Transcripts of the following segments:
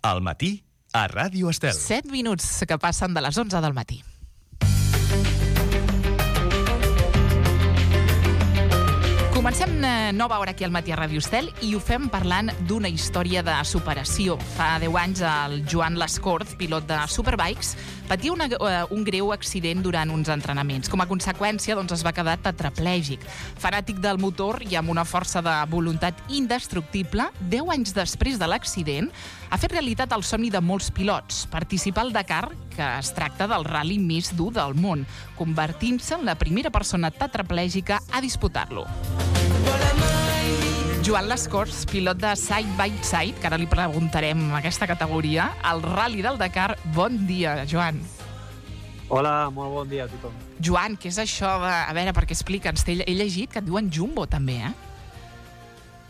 Al matí, a Ràdio Estel. 7 minuts que passen de les 11 del matí. Comencem nova hora aquí al matí a Ràdio Estel i ho fem parlant d'una història de superació. Fa 10 anys el Joan Lascorz, pilot de Superbikes, patia un greu accident durant uns entrenaments. Com a conseqüència, es va quedar tetraplègic. Fanàtic del motor i amb una força de voluntat indestructible, 10 anys després de l'accident, ha fet realitat el somni de molts pilots, participar al Dakar, que es tracta del ral·li més dur del món, convertint-se en la primera persona tetraplègica a disputar-lo. Joan Lascorz, pilot de Side by Side, que ara li preguntarem aquesta categoria, al Ral·li del Dakar. Bon dia, Joan. Hola, molt bon dia a tothom. Joan, què és això de... A veure, perquè explica'ns, he llegit que et diuen Jumbo, també,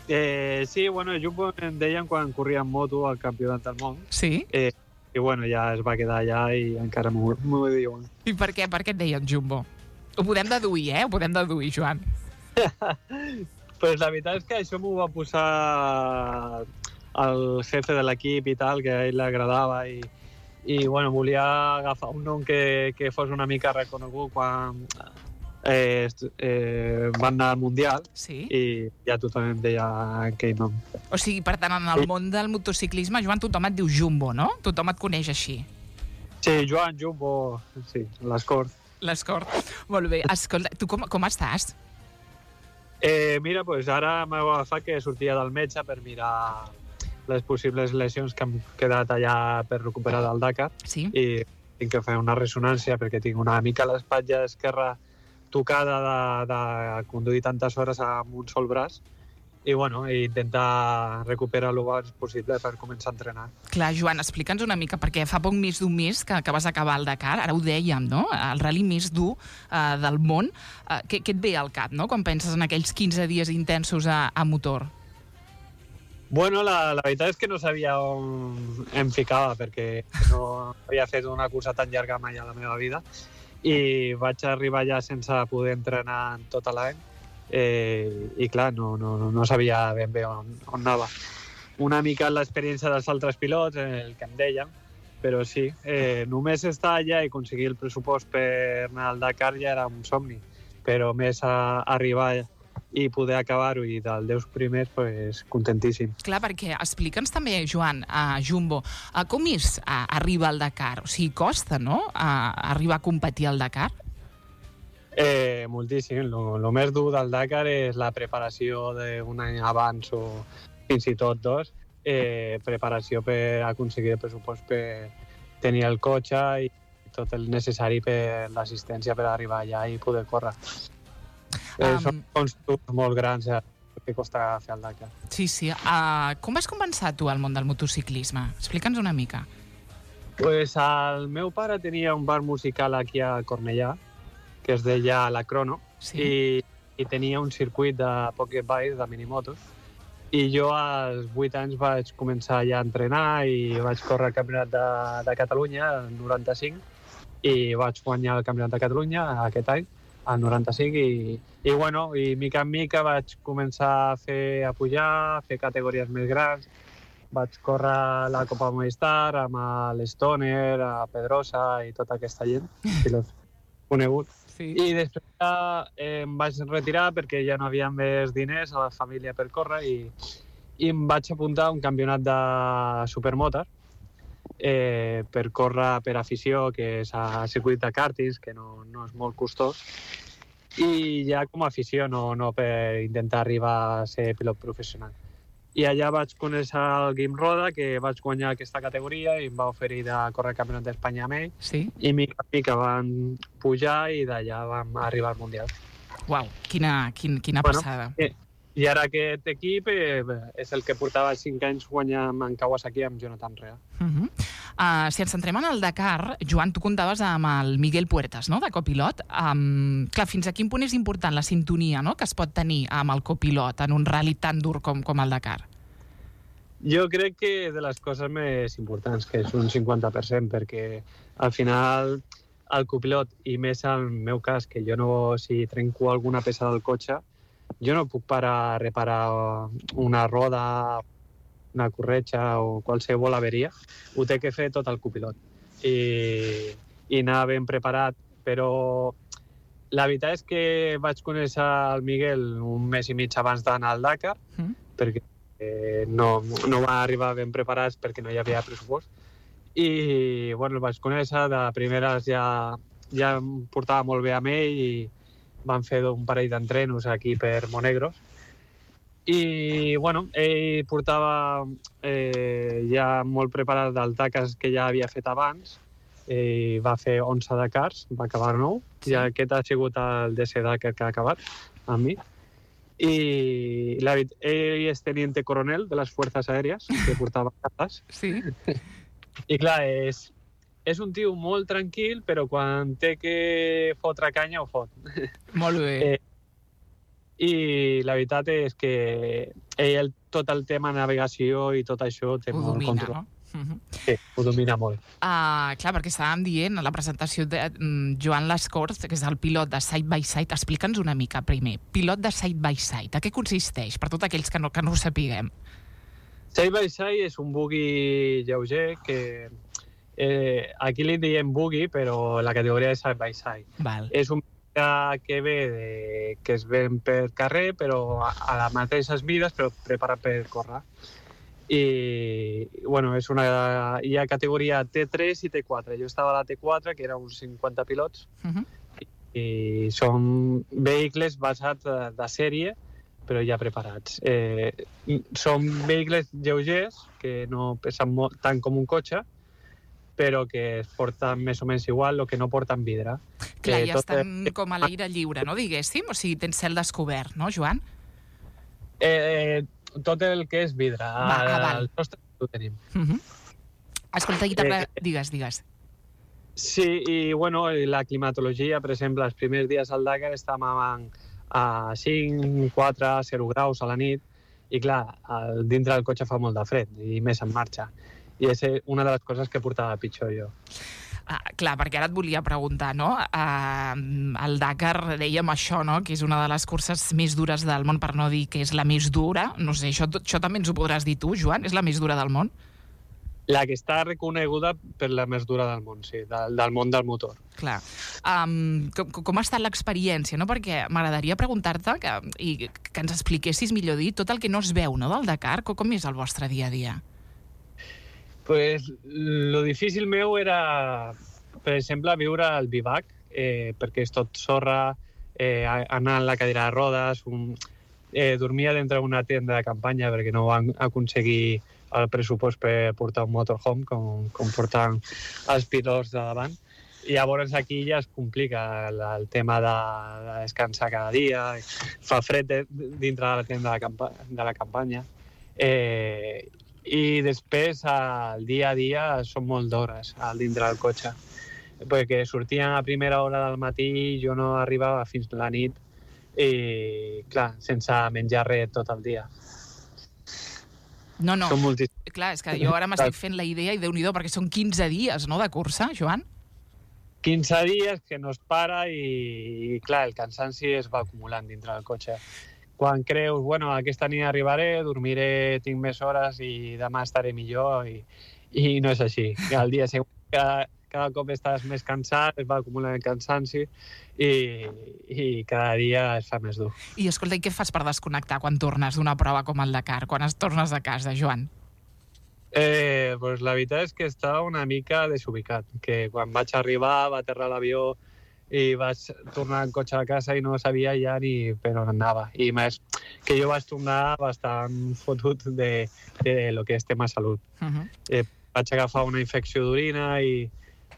Sí, Jumbo em deien quan corria en moto al Campionat del Món. Sí? I ja es va quedar allà i encara m'ho diuen. I per què? Per què et deien Jumbo? Ho podem deduir, Ho podem deduir, Joan. Pues la veritat és que això m'ho va posar el jefe de l'equip i tal, que a ell l'agradava i volia agafar un nom que fos una mica reconegut quan van anar al Mundial. Sí? I ja tothom em deia aquell nom. O sigui, per tant, en el món del motociclisme, Joan, tothom et diu Jumbo, no? Tothom et coneix així. Sí, Joan, Jumbo, sí, Lascorz. Lascorz. Molt bé. Escolta, tu com estàs? Mira, ara m'he agafat que sortia del metge per mirar les possibles lesions que han quedat allà per recuperar del Dakar. Sí? I tinc que fer una ressonància perquè tinc una mica l'espatlla esquerra tocada de conduir tantes hores amb un sol braç i intentar recuperar el abans possible per començar a entrenar. Clar, Joan, explica'ns una mica, perquè fa poc més d'un mes que vas acabar el Dakar, ara ho dèiem, no? El ral·li més dur del món. Què et ve al cap, no?, quan penses en aquells 15 dies intensos a motor? La veritat és que no sabia on em ficava, perquè no havia fet una cursa tan llarga mai a la meva vida i vaig arribar allà sense poder entrenar tot l'any i clar, no sabia ben bé on anava. Una mica l'experiència dels altres pilots, el que em deien, però sí, només estar allà i aconseguir el pressupost per anar al Dakar ja era un somni, però més arribar i poder acabar-ho i dels 10 primers, contentíssim. Clar, perquè explica'ns també, Joan, a Jumbo, com és arribar al Dakar? O sigui, costa, no?, arribar a competir al Dakar? Moltíssim. El més dur del Dakar és la preparació d'un any abans o fins i tot 2. Preparació per aconseguir el pressupost per tenir el cotxe i tot el necessari per l'assistència per arribar allà i poder córrer. Són constructors molt grans que costa fer el Dakar. Sí. Com vas començar tu al món del motociclisme? Explica'ns una mica. El meu pare tenia un bar musical aquí a Cornellà, que es deia La Crono, sí. i tenia un circuit de pocket bike, de minimotos, i jo als 8 anys vaig començar ja a entrenar i vaig córrer el Campionat de Catalunya, el 95, i vaig guanyar el Campionat de Catalunya aquest any, el 95, i mica en mica vaig començar a pujar, a fer categories més grans. Vaig córrer la Copa Movistar amb l'Stoner, a Pedrosa i tota aquesta gent, pilots coneguts. Sí. I després em vaig retirar perquè ja no havia més diners a la família per córrer i em vaig apuntar a un campionat de supermotor per córrer per afició, que és a circuit de kàrtings, que no és molt costós, i ja com a afició, no per intentar arribar a ser pilot professional. I allà vaig conèixer el Guim Roda, que vaig guanyar aquesta categoria i em va oferir de córrer el Campionat d'Espanya amb ell. Sí. I mica en mica van pujar i d'allà vam arribar al Mundial. Uau, quina passada. I ara aquest equip és el que portava 5 anys guanyant en Kawasaki amb Jonathan Rea. Si ens centrem en el Dakar, Joan, tu comptaves amb el Miguel Puertas, no?, de copilot. Clar, fins a quin punt és important la sintonia, no?, que es pot tenir amb el copilot en un ral·li tan dur com el Dakar? Jo crec que és de les coses més importants, que és un 50%, perquè al final el copilot, i més en el meu cas, que jo no, si trenco alguna peça del cotxe, jo no puc parar a reparar una roda una corretja o qualsevol averia, ho té que fer tot el copilot. I anar ben preparat, però la veritat és que vaig conèixer el Miguel un mes i mig abans d'anar al Dakar, perquè no va arribar ben preparats perquè no hi havia pressupost. I bueno, el vaig conèixer, de primeres ja em portava molt bé amb ell i van fer un parell d'entrenos aquí per Monegros. I bueno, ell portava ja molt preparat del Dakar que ja havia fet abans. Va fer 11 Dakars, va acabar 9, i aquest ha sigut el 10è Dakar que ha acabat amb mi. I ell és teniente coronel de les Fuerzas Aèries, que portava cases. Sí. I clar, és un tio molt tranquil, però quan té que fotre canya, ho fot. Molt bé. I la veritat és que ell tot el tema navegació i tot això té molt control. No? Sí, ho domina molt. Clar, perquè estàvem dient a la presentació de Joan Lascorz, que és el pilot de Side by Side. Explica'ns una mica primer. Pilot de Side by Side, a què consisteix? Per tots aquells que no ho sapiguem. Side by Side és un buggy lleuger que aquí li diem buggy, però la categoria és Side by Side. Val. És un que ve que es ven per carrer, però a les mateixes mides, però preparat per córrer. I bueno, hi ha categoria T3 i T4. Jo estava a la T4, que era uns 50 pilots, i són vehicles basats de sèrie, però ja preparats. Són vehicles lleugers, que no pesen tant com un cotxe, però que es porten més o menys igual, o que no porten vidre. Clar, ja estan com a l'aire lliure, no, diguéssim? O sigui, tens cel descobert, no, Joan? Tot el que és vidre. Val. El nostre ho tenim. Escolta, digues. Sí, i bueno, la climatologia, per exemple, els primers dies al Dakar estàvem a 5, 4, 0 graus a la nit, i clar, dintre del cotxe fa molt de fred, i més en marxa. I és una de les coses que portava pitjor jo. Clar, perquè ara et volia preguntar, no? El Dakar, dèiem això, no? Que és una de les curses més dures del món, per no dir que és la més dura. No sé, això també ens ho podràs dir tu, Joan? És la més dura del món? La que està reconeguda per la més dura del món, sí, del món del motor. Clar. Com ha estat l'experiència, no? Perquè m'agradaria preguntar-te i que ens expliquessis, millor dit, tot el que no es veu, no, del Dakar. Com és el vostre dia a dia? Pues lo difícil meu era, per exemple, viure al bivac, perquè és tot sorra, anar en la cadira de rodes, dormia dintre d'una tenda de campanya perquè no van aconseguir el pressupost per portar un motorhome com porten els pilots de davant. I llavors aquí ja es complica el tema de descansar cada dia, fa fred dintre de la tenda de la campanya. I després, el dia a dia, són molt d'hores dintre del cotxe. Perquè sortien a primera hora del matí, jo no arribava fins la nit, i, clar, sense menjar res tot el dia. No. Són moltíssims. Clar, és que jo ara m'estic fent la idea, i Déu-n'hi-do, perquè són 15 dies, no?, de cursa, Joan? 15 dies que no es para i, clar, el cansanci es va acumulant dintre del cotxe. Quan creus, bueno, aquesta nit arribaré, dormiré, tinc més hores i demà estaré millor, i no és així. El dia següent cada cop estàs més cansat, es va acumulant el cansanci i cada dia es fa més dur. I escolta, i què fas per desconnectar quan tornes d'una prova com el Dakar, quan es tornes a casa, Joan? Pues la veritat és que estava una mica desubicat, que quan vaig arribar, va aterrar l'avió, i vaig tornar en cotxe a casa i no sabia ja ni per on anava. I més que jo vaig tornar bastant fotut de lo que és tema salut. Vaig agafar una infecció d'orina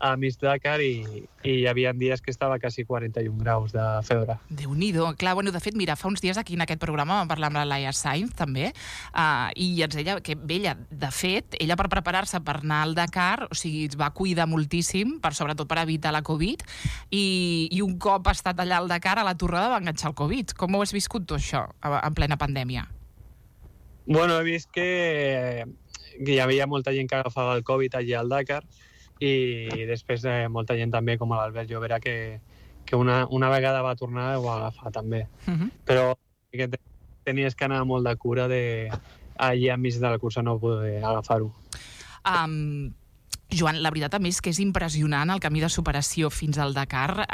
a mig Dakar i hi havia dies que estava quasi 41 graus de febre. Déu-n'hi-do. Clar, bueno, de fet, mira, fa uns dies aquí en aquest programa vam parlar amb la Laia Sainz, també, i ens deia que ella, de fet, ella per preparar-se per anar al Dakar, o sigui, es va cuidar moltíssim, sobretot per evitar la Covid, i un cop ha estat allà al Dakar, a la torrada va enganxar el Covid. Com ho has viscut tu, això, en plena pandèmia? Bueno, he vist que hi havia molta gent que agafava el Covid allà al Dakar, i després molta gent també, com l'Albert Llobera, que una vegada va tornar i ho va agafar també. Però tenies que anar molt de cura allà enmig de la cursa no poder agafar-ho. Joan, la veritat també és que és impressionant el camí de superació fins al Dakar.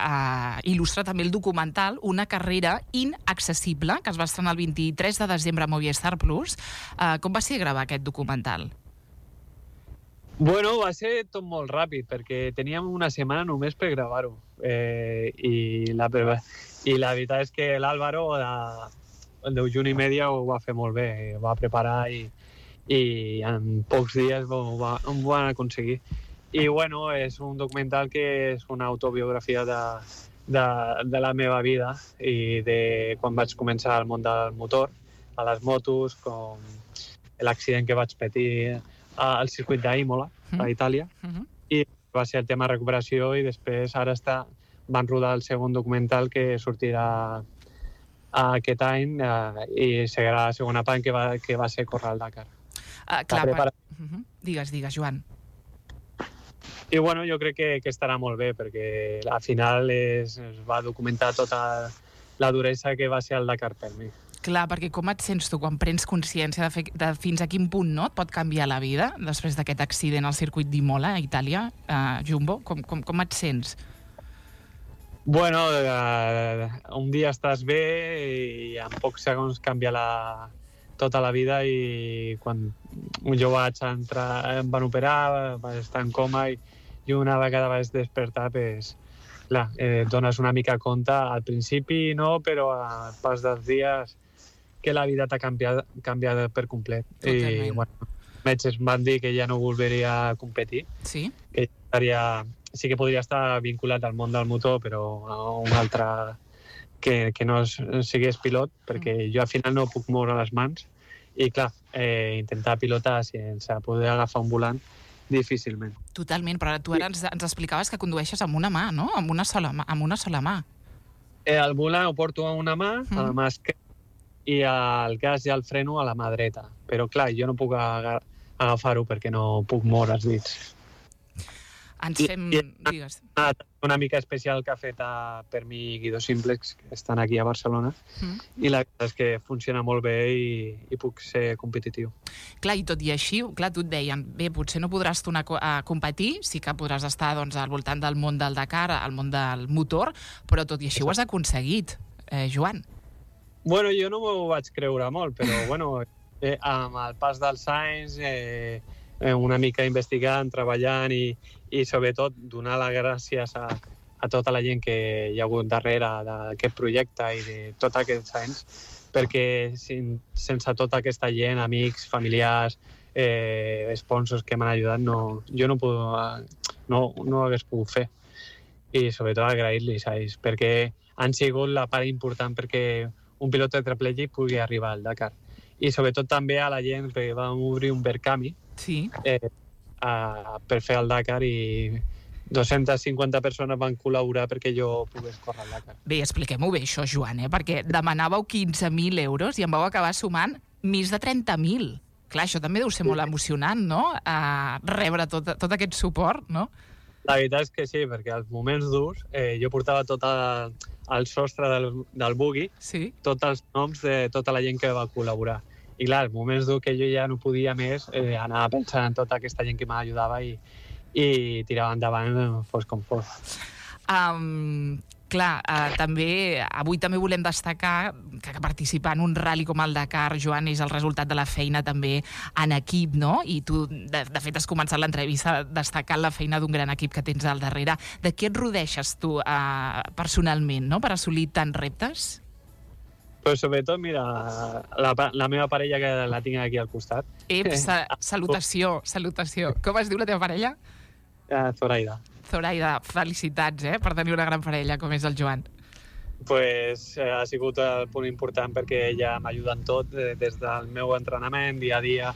Il·lustra també el documental Una carrera inaccessible, que es va estrenar el 23 de desembre a Movistar Plus. Com va ser gravar aquest documental? Bueno, va ser tot molt ràpid, perquè teníem una setmana només per gravar-ho. I la veritat és que l'Àlvaro, de juny i media, ho va fer molt bé. Ho va preparar i en pocs dies ho van aconseguir. I bueno, és un documental que és una autobiografia de la meva vida i de quan vaig començar al món del motor, a les motos, com l'accident que vaig patir al circuit d'Imola, a Itàlia, i va ser el tema recuperació, i després ara van rodar el segon documental que sortirà aquest any i serà la segona part que va ser córrer al Dakar. Digues, Joan. I bueno, jo crec que estarà molt bé, perquè al final es va documentar tota la duresa que va ser el Dakar per mi. Clar, perquè com et sents tu quan prens consciència de fins a quin punt et pot canviar la vida després d'aquest accident al circuit d'Imola, a Itàlia, Jumbo? Com et sents? Bueno, un dia estàs bé i en pocs segons canvia tota la vida, i quan jo vaig entrar, em van operar, vaig estar en coma, i una vegada vaig despertar, dones una mica compte. Al principi no, però al pas dels dies que la vida t'ha canviat per complet. Totalment. I bueno, els metges van dir que ja no volveria a competir, sí? Que sí que podria estar vinculat al món del motor, però a un altre que no sigués pilot, perquè jo al final no puc moure les mans, i clar, intentar pilotar sense poder agafar un volant, difícilment. Totalment, però tu ara ens explicaves que condueixes amb una mà, no? Amb una sola mà. El volant ho porto amb una mà, a la mà esquerra, i el gas i el freno a la mà dreta. Però clar, jo no puc agafar-ho perquè no puc moure els dits. Digues. Una mica especial que ha fet per mi Guido Simplex, que estan aquí a Barcelona, i la veritat és que funciona molt bé i puc ser competitiu. Clar, i tot i així, clar, tu et deien, bé, potser no podràs tornar a competir, sí que podràs estar al voltant del món del Dakar, al món del motor, però tot i així ho has aconseguit, Joan. Bueno, jo no m'ho vaig creure molt, però bueno, amb el pas dels anys, una mica investigant, treballant i sobretot donar les gràcies a tota la gent que hi ha hagut darrere d'aquest projecte i de tots aquests anys, perquè sense tota aquesta gent, amics, familiars, sponsors que m'han ajudat, jo no hagués pogut fer. I sobretot agrair-los a ells, perquè han sigut la part important perquè un pilot tetraplègic pugui arribar al Dakar. I sobretot també a la gent que vam obrir un Verkami, sí, per fer el Dakar, i 250 persones van col·laborar perquè jo pogués córrer al Dakar. Bé, expliquem-ho bé això, Joan, perquè demanàveu 15.000 euros i en vau acabar sumant més de 30.000. Clar, això també deu ser molt emocionant, no?, rebre tot aquest suport, no? La veritat és que sí, perquè als moments durs jo portava tot el sostre del buggy, sí, tots els noms de tota la gent que va col·laborar. I clar, als moments durs que jo ja no podia més, anava pensant en tota aquesta gent que m'ajudava i tirava endavant fos com fos. Clar, avui també volem destacar que participar en un rally com el Dakar, Joan, és el resultat de la feina també en equip, no? I tu, de fet, has començat l'entrevista destacant la feina d'un gran equip que tens al darrere. De què et rodeixes tu personalment, no?, per assolir tants reptes? Però sobretot, mira, la meva parella, que la tinc aquí al costat. Salutació. Com es diu la teva parella? Zoraida, felicitats, per tenir una gran parella com és el Joan. Pues ha sigut el punt important perquè ella m'ajuda en tot, des del meu entrenament, dia a dia,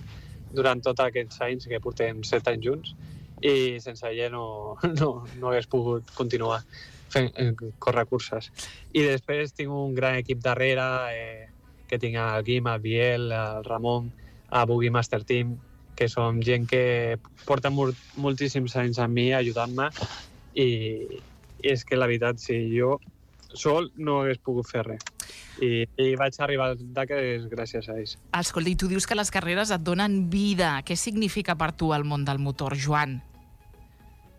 durant tots aquests anys, que portem 7 anys junts, i sense ella no hagués pogut continuar córrer curses. I després tinc un gran equip darrere, que tinc el Guim, el Biel, el Ramon, el Buggy Master Team, que som gent que porta moltíssims anys amb mi ajudant-me, i és que la veritat, si jo sol no hagués pogut fer res. I vaig arribar al Dakar gràcies a ells. Escolta, i tu dius que les carreres et donen vida. Què significa per tu el món del motor, Joan?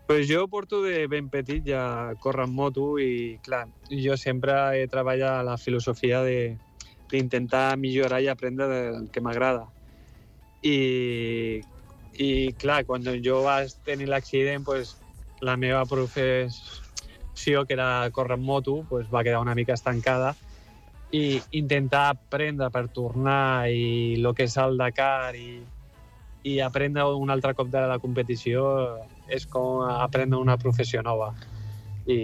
Pues jo porto de ben petit ja córrer en moto i, clar, jo sempre he treballat la filosofia d'intentar millorar i aprendre del que m'agrada. I, clar, quan jo vaig tenir l'accident, pues, la meva professió, que era córrer en moto, pues, va quedar una mica estancada i intentar aprendre per tornar i el que és el Dakar i aprendre un altre cop de la competició és com aprendre una professió nova. I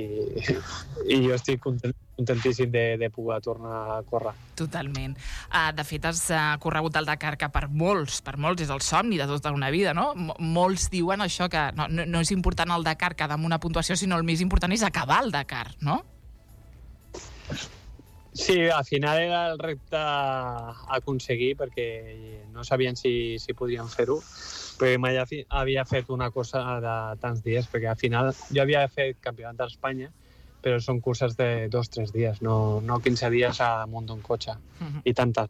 jo estic contentíssim de poder tornar a córrer. Totalment. De fet, has corregut el Dakar, que per molts és el somni de tota una vida, no? Molts diuen això, que no és important el Dakar quedar amb una puntuació, sinó el més important és acabar el Dakar, no? Sí, al final era el repte a aconseguir, perquè no sabien si podien fer-ho, però mai havia fet una cosa de tants dies, perquè al final jo havia fet campionat d'Espanya, però són curses de 2 o 3 dies, no 15 dies amunt d'un cotxe, i tantes.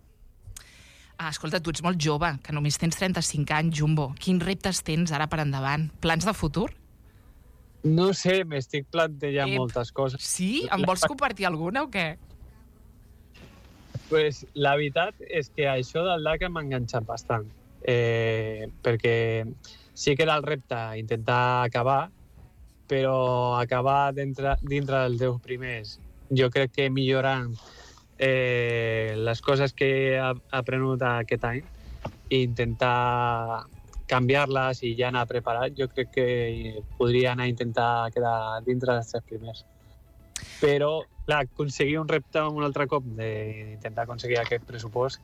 Escolta, tu ets molt jove, que només tens 35 anys, Jumbo. Quins reptes tens ara per endavant? Plans de futur? No sé, m'estic plantejant moltes coses. Sí? En vols compartir alguna o què? Pues, la veritat és que això del Dakar m'ha enganxat bastant, perquè sí que era el repte intentar acabar, però acabar dintre dels 10 primers, jo crec que millorant les coses que he aprenut aquest any i intentar canviar-les i ja anar preparat, jo crec que podria anar a intentar quedar dintre dels 3 primers. Però, clar, aconseguir un repte un altre cop d'intentar aconseguir aquest pressupost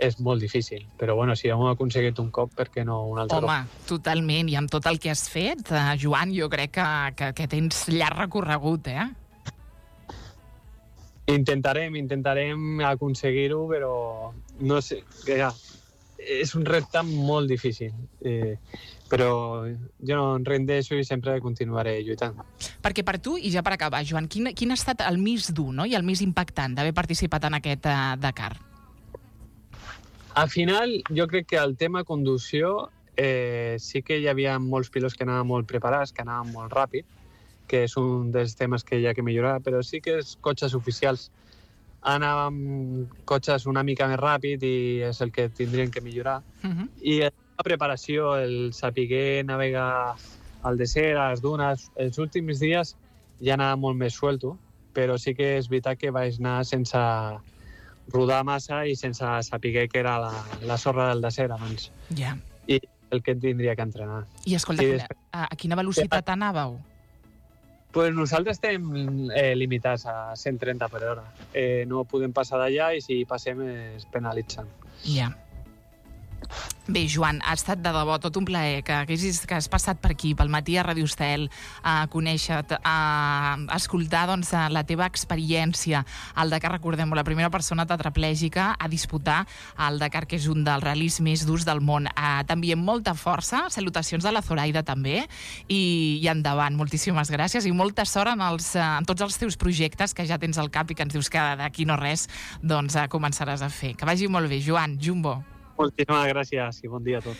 és molt difícil. Però, bueno, si ho hem aconseguit un cop, per què no un altre cop? Home, totalment. I amb tot el que has fet, Joan, jo crec que tens llarg recorregut, eh? Intentarem aconseguir-ho, però no sé, és un repte molt difícil. Però jo no em rendeixo i sempre continuaré lluitant. Perquè per tu, i ja per acabar, Joan, quin ha estat el més dur, no?, i el més impactant d'haver participat en aquest Dakar? Al final, jo crec que el tema conducció sí que hi havia molts pilots que anaven molt preparats, que anaven molt ràpid, que és un dels temes que hi ha que millorar, però sí que els cotxes oficials anàvem cotxes una mica més ràpid i és el que tindrien que millorar. I la preparació, el saber navegar al desert, a les dunes, els últims dies ja anava molt més suelto, però sí que és veritat que vaig anar sense rodar massa i sense saber que era la sorra del desert abans. Ja. I el que tindria que entrenar. I escolta, a quina velocitat anàveu? Pues nosaltres estem limitats a 130 per hora. No podem passar d'allà i si passem es penalitzen. Ja. Bé, Joan, ha estat de debò tot un plaer que has passat per aquí, pel matí a Ràdio Estel, a conèixer-te, a escoltar la teva experiència al Dakar. Recordem-ho, la primera persona tetraplègica a disputar el Dakar, que és un dels ral·lis més durs del món. T'enviem molta força, salutacions de la Zoraida també, i endavant, moltíssimes gràcies i molta sort en tots els teus projectes que ja tens al cap i que ens dius que d'aquí no res començaràs a fer. Que vagi molt bé, Joan, Jumbo. Moltíssimes gràcies i bon dia a tots.